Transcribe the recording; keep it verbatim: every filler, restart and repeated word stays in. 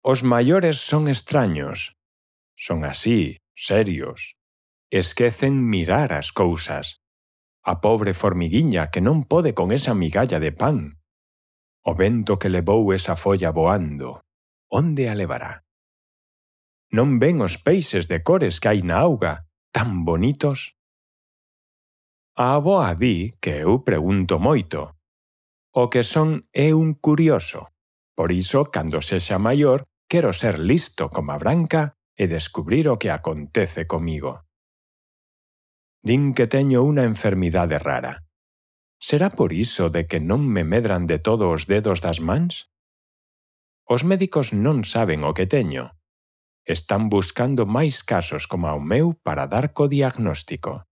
Os maiores son extraños. Son así, serios. Esquecen mirar as cousas. A pobre formiguiña que non pode con esa migalla de pan. O vento que levou esa folla voando, onde a levará? Non ven os peixes de cores que hai na auga, tan bonitos? A avoa di que eu pregunto moito. O que son é un curioso. Por iso, cando sexa maior, quero ser listo como a Branca e descubrir o que acontece comigo. Din que teño unha enfermidade rara. Será por iso de que non me medran de todo os dedos das mans? Os médicos non saben o que teño. Están buscando máis casos como o meu para dar co diagnóstico.